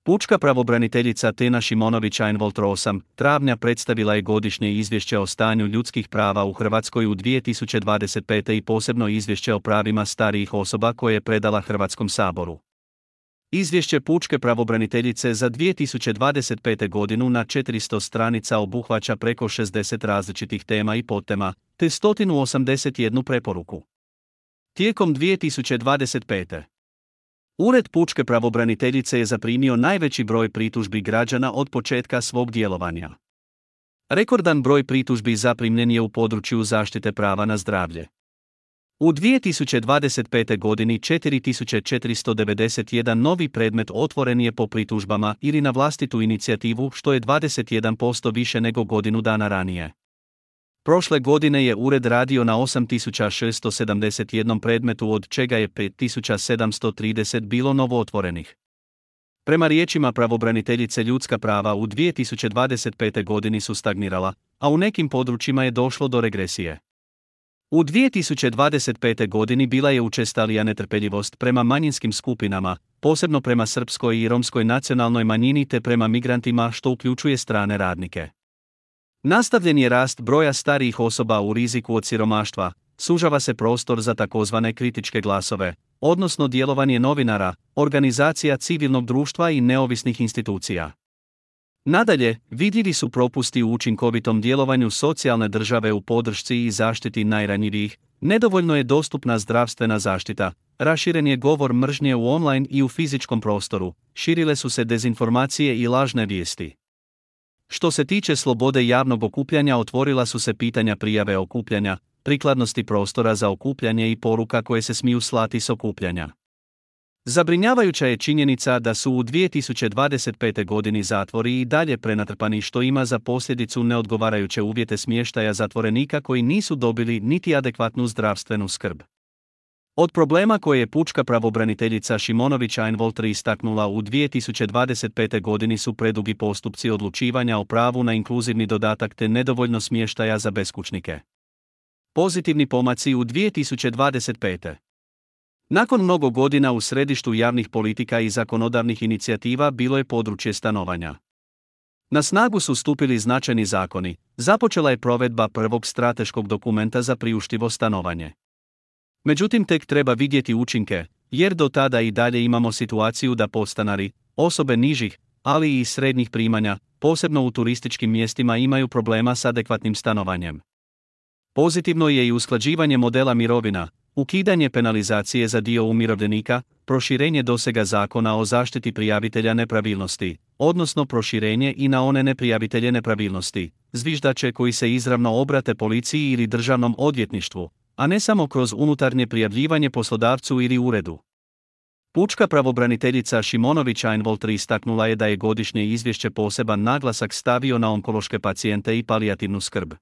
Pučka pravobraniteljica Tena Šimonović-Einwalter 8. travnja predstavila je godišnje izvješće o stanju ljudskih prava u Hrvatskoj u 2025. i posebno izvješće o pravima starijih osoba koje je predala Hrvatskom saboru. Izvješće pučke pravobraniteljice za 2025. godinu na 400 stranica obuhvaća preko 60 različitih tema i podtema, te 181 preporuku. Tijekom 2025. Ured pučke pravobraniteljice je zaprimio najveći broj pritužbi građana od početka svog djelovanja. Rekordan broj pritužbi zaprimljen je u području zaštite prava na zdravlje. U 2025. godini 4491 novi predmet otvoren je po pritužbama ili na vlastitu inicijativu, što je 21% više nego godinu dana ranije. Prošle godine je ured radio na 8671 predmetu, od čega je 5730 bilo novootvorenih. Prema riječima pravobraniteljice, ljudska prava u 2025. godini su stagnirala, a u nekim područjima je došlo do regresije. U 2025. godini bila je učestalija netrpeljivost prema manjinskim skupinama, posebno prema srpskoj i romskoj nacionalnoj manjini te prema migrantima, što uključuje strane radnike. Nastavljen je rast broja starijih osoba u riziku od siromaštva, sužava se prostor za takozvane kritičke glasove, odnosno djelovanje novinara, organizacija civilnog društva i neovisnih institucija. Nadalje, vidljivi su propusti u učinkovitom djelovanju socijalne države u podršci i zaštiti najranjivijih, nedovoljno je dostupna zdravstvena zaštita, raširen je govor mržnje u online i u fizičkom prostoru, širile su se dezinformacije i lažne vijesti. Što se tiče slobode javnog okupljanja, otvorila su se pitanja prijave okupljanja, prikladnosti prostora za okupljanje i poruka koje se smiju slati s okupljanja. Zabrinjavajuća je činjenica da su u 2025. godini zatvori i dalje prenatrpani, što ima za posljedicu neodgovarajuće uvjete smještaja zatvorenika koji nisu dobili niti adekvatnu zdravstvenu skrb. Od problema koje je pučka pravobraniteljica Šimonović-Einwalter istaknula u 2025. godini su predugi postupci odlučivanja o pravu na inkluzivni dodatak te nedovoljno smještaja za beskućnike. Pozitivni pomaci u 2025. Nakon mnogo godina u središtu javnih politika i zakonodavnih inicijativa bilo je područje stanovanja. Na snagu su stupili značajni zakoni, započela je provedba prvog strateškog dokumenta za priuštivo stanovanje. Međutim, tek treba vidjeti učinke, jer do tada i dalje imamo situaciju da podstanari, osobe nižih, ali i srednjih primanja, posebno u turističkim mjestima, imaju problema s adekvatnim stanovanjem. Pozitivno je i usklađivanje modela mirovina, ukidanje penalizacije za dio umirovljenika, proširenje dosega Zakona o zaštiti prijavitelja nepravilnosti, odnosno proširenje i na one neprijavitelje nepravilnosti, zviždače koji se izravno obrate policiji ili državnom odvjetništvu, a ne samo kroz unutarnje prijavljivanje poslodavcu ili uredu. Pučka pravobraniteljica Šimonović-Einwalter istaknula je da je godišnje izvješće poseban naglasak stavio na onkološke pacijente i palijativnu skrb.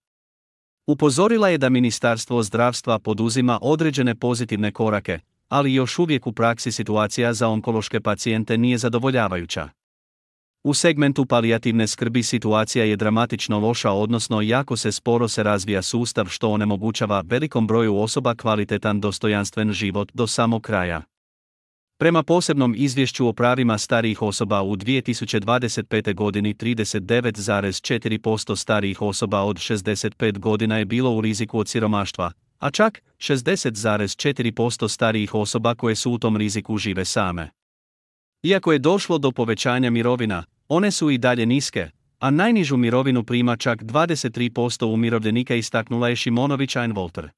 Upozorila je da Ministarstvo zdravstva poduzima određene pozitivne korake, ali još uvijek u praksi situacija za onkološke pacijente nije zadovoljavajuća. U segmentu palijativne skrbi situacija je dramatično loša, odnosno jako se sporo se razvija sustav, što onemogućava velikom broju osoba kvalitetan dostojanstven život do samog kraja. Prema posebnom izvješću o pravima starijih osoba u 2025. godini 39,4% starijih osoba od 65 godina je bilo u riziku od siromaštva, a čak 60,4% starijih osoba koje su u tom riziku žive same. Iako je došlo do povećanja mirovina, one su i dalje niske, a najnižu mirovinu prima čak 23% umirovljenika, istaknula je Šimonović-Einwalter.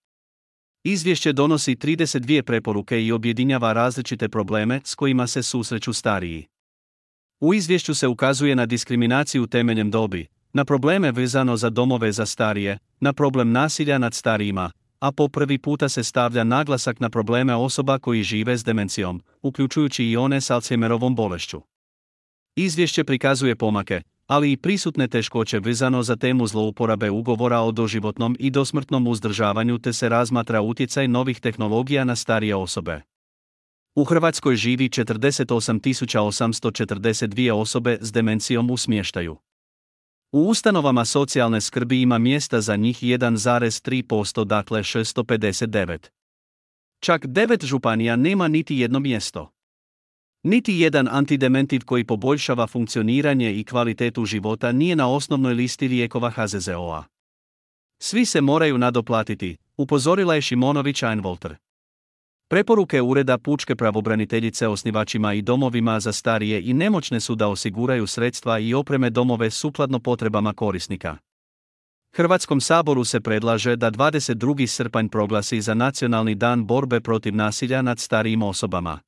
Izvješće donosi 32 preporuke i objedinjava različite probleme s kojima se susreću stariji. U izvješću se ukazuje na diskriminaciju temeljem dobi, na probleme vezano za domove za starije, na problem nasilja nad starijima, a po prvi puta se stavlja naglasak na probleme osoba koji žive s demencijom, uključujući i one s Alzheimerovom bolešću. Izvješće prikazuje pomake, ali i prisutne teškoće vezano za temu zlouporabe ugovora o doživotnom i dosmrtnom uzdržavanju, te se razmatra utjecaj novih tehnologija na starije osobe. U Hrvatskoj živi 48.842 osobe s demencijom u smještaju. U ustanovama socijalne skrbi ima mjesta za njih 1,3%, dakle 659. Čak 9 županija nema niti jedno mjesto. Niti jedan antidementiv koji poboljšava funkcioniranje i kvalitetu života nije na osnovnoj listi lijekova HZZO-a. Svi se moraju nadoplatiti, upozorila je Šimonović Einwalter. Preporuke Ureda pučke pravobraniteljice osnivačima i domovima za starije i nemoćne su da osiguraju sredstva i opreme domove sukladno potrebama korisnika. Hrvatskom saboru se predlaže da 22. srpanj proglasi za Nacionalni dan borbe protiv nasilja nad starijim osobama.